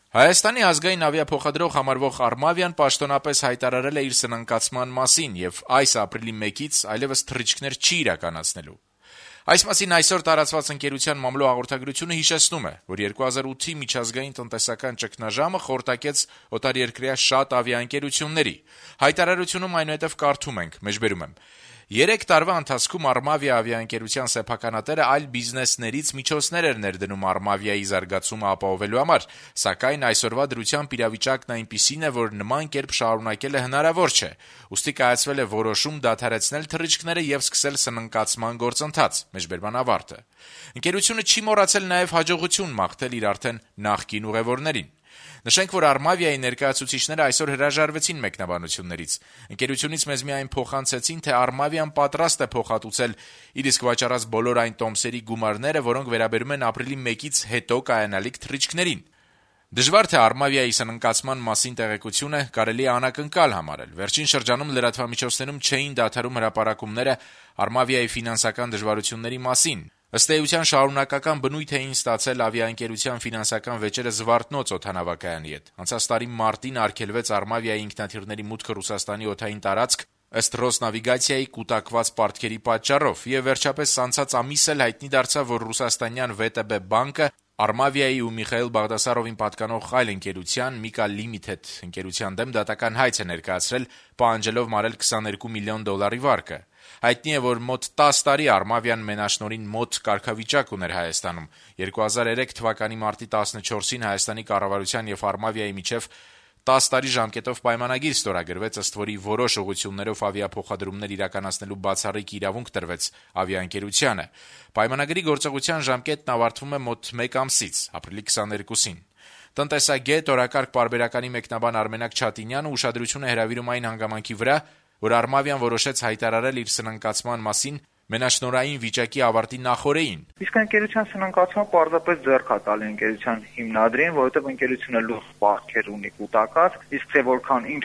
Հայաստանի ազգային ավիափոխադրող համարվող Armavian պաշտոնապես հայտարարել է իր սնանկացման մասին եւ այս ապրիլի 1-ից այլեւս թռիչքներ չի իրականացնելու։ Այս մասին այսօր տարածված ընկերության մամլո հաղորդագրությունը հիշեցնում է, որ 2008-ի միջազգային տնտեսական ճգնաժամը խորտակեց օտարերկրյա շատ ավիաընկերությունների։ Հայտարարությունում այնուհետև կարդում ենք. 3 տարվա ընթացքում Armavia ավիաընկերության սեփականատերը այլ բիզնեսներից միջոցներ էր ներդնում Armavia-ի զարգացումը ապահովելու համար, սակայն այսօրվա դրությամբ իրավիճակն այնպիսին է, որ նման կերպ շարունակելը հնարավոր չէ։ Ուստի կայացվել է որոշում դադարեցնել թռիչքները եւ սկսել սնանկացման գործընթաց։ Ընկերությունը չի մոռացել նաեւ հաջողություն մաղթել իր արդեն նախկին ուղևորներին։ Նշենք, որ Armavia-ի ներկայացուցիչները այսօր հրաժարվեցին մեկնաբանություններից։ Ընկերությունից մեզ միայն փոխանցեցին, թե Armavia-ն պատրաստ է փոխհատուցել իր իսկ վաճառած բոլոր այն տոմսերի գումարները, որոնք վերաբերում են ապրիլի 1-ից հետո կայանալիք թռիչքներին։ Դժվար թե Armavia-ի սնանկացման մասին տեղեկությունը կարելի է անակնկալ համարել։ Վերջին շրջանում լրատվամիջոցներում չէին դադարում հրապարակումները Armavia-ի ֆինանսական դժվարությունների մասին։ Ըստ էության շարունակական բնույթ էին ստացել ավիաընկերության ֆինանսական վեճերը Զվարթնոց օդանավակայանի հետ։ Անցած տարի մարտին արգելվեց Armavia-ի ինքնաթիռների մուտքը Ռուսաստանի օդային տարածք ըստ Ռոսնավիգացիայի կուտակված պարտքերի պատճառով, եւ վերջապես անցած ամիս էլ հայտնի դարձավ, որ ռուսաստանյան VTB բանկը Armavia-ի ու Միխայիլ Բաղդասարովին պատկանող այլ ընկերության Mika Limited ընկերության դեմ դատական հայց է ներկայացրել, պահանջելով մարել $22 միլիոն վարկը։ Հայտնի է, որ մոտ 10 տարի Armavia-ն մենաշնորհին մոտ կարգավիճակ ուներ Հայաստանում։ 2003 թվականի մարտի 14-ին Հայաստանի կառավարության եւ Armavia-ի միջև 10 տարի ժամկետով պայմանագիր ստորագրվեց, ըստ որի որոշ ուղղություններով ավիափոխադրումներ իրականացնելու բացառիկ իրավունք տրվեց ավիաընկերությանը։ Պայմանագրի գործողության ժամկետն ավարտվում է մոտ 1 ամսից, ապրիլի 22-ին։ Տնտեսագետ, օրակարգ պարբերականի մեկնաբան Արմենակ Չատինյանը ուշադրություն է հրավիրում այն հանգամանքի վրա, որ Armavia-ն որոշեց հայտարարել իր սնանկացման մասին մենաշնորհային վիճակի ավարտի նախօրեին։ Իսկ ընկերության սնանկացումը պարզապես ձեռք է տալի ընկերության հիմնադրին, որովհետև ընկերությունը լուրջ պարտքեր ունի կուտակած, իսկ թե որքան ինչ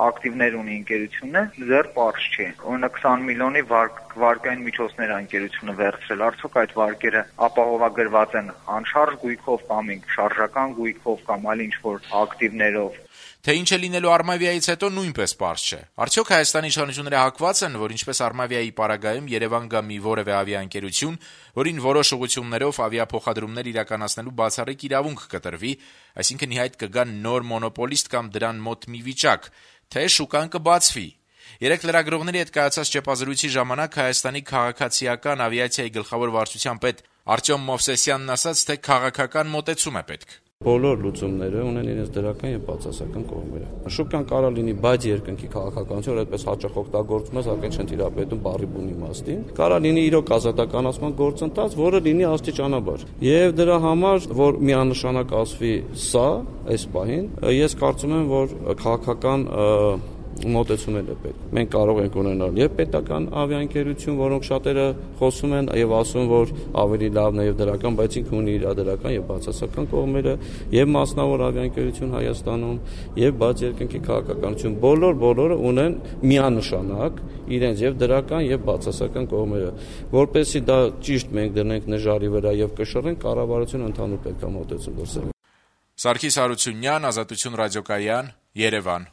ակտիվներ ունի ընկերությունը, ձեռ պարզ չի։ Օրինակ 20 միլիոնի վարկային միջոցներ ընկերությունը վերցրել, արդյոք այդ վարկերը ապահովագրված են անշարժ գույքով կամ շարժական գույքով կամ այլ ինչ-որ ակտիվներով։ Թե ինչ է լինելու Armavia-ից հետո նույնպես պարզ չէ։ Արդյոք Հայաստանի իշխանությունները հակված են, որ ինչպես Armavia-ի պարագայում Երևան գա մի որևէ ավիաընկերություն, որին որոշ ուղղություններով ավիափոխադրումներ իրականացնելու բացառիկ իրավունք կտրվի, այսինքն ի հայտ կգա նոր մոնոպոլիստ կամ դրան մոտ մի վիճակ, թե շուկան կբացվի։ Երեք լրագրողների հետ կայացած ճեպազրույցի ժամանակ Հայաստանի քաղաքացիական ավիացիայի գլխավոր վարչության պետ Արտյոմ Մովսեսյանն ասաց, թե քաղաքական մոտեցում է պետք։ Բոլոր լուծումները ունեն իրենց դրական եւ բացասական կողմերը։ Շուկան կարող լինի բայց երկնքի քաղաքականություն, որ այդպես հաճախ օգտագործում է, սակայն չեն տիրապետում բառի բուն իմաստին։ Կարող լինի իրոք ազատականացման գործընթաց, որը լինի աստիճանաբար։ Եվ դրա համար, որ միանշանակ ասվի սա, այս պահին, ես կարծում եմ, որ քաղաքական մոտեցումներ է պետք։ Մենք կարող ենք ունենալ եւ պետական ավիաընկերություն, որոնք շատերը խոսում են եւ ասում, որ ավելի լավն է եւ դրական, բայց ինքը ունի իր դրական եւ բացասական կողմերը, եւ մասնավոր ավիաընկերություն Հայաստանում, եւ բաց երկնքի քաղաքականություն, բոլորը ունեն միանշանակ իրենց եւ դրական եւ բացասական կողմերը։ Որպեսզի դա ճիշտ մենք դնենք նժարի վրա եւ կշռենք, կառավարությունը ընդհանուր պետք է մոտեցում գործել։ Սարգիս Հարությունյան, Ազատություն ռադիոկայան, Երևան։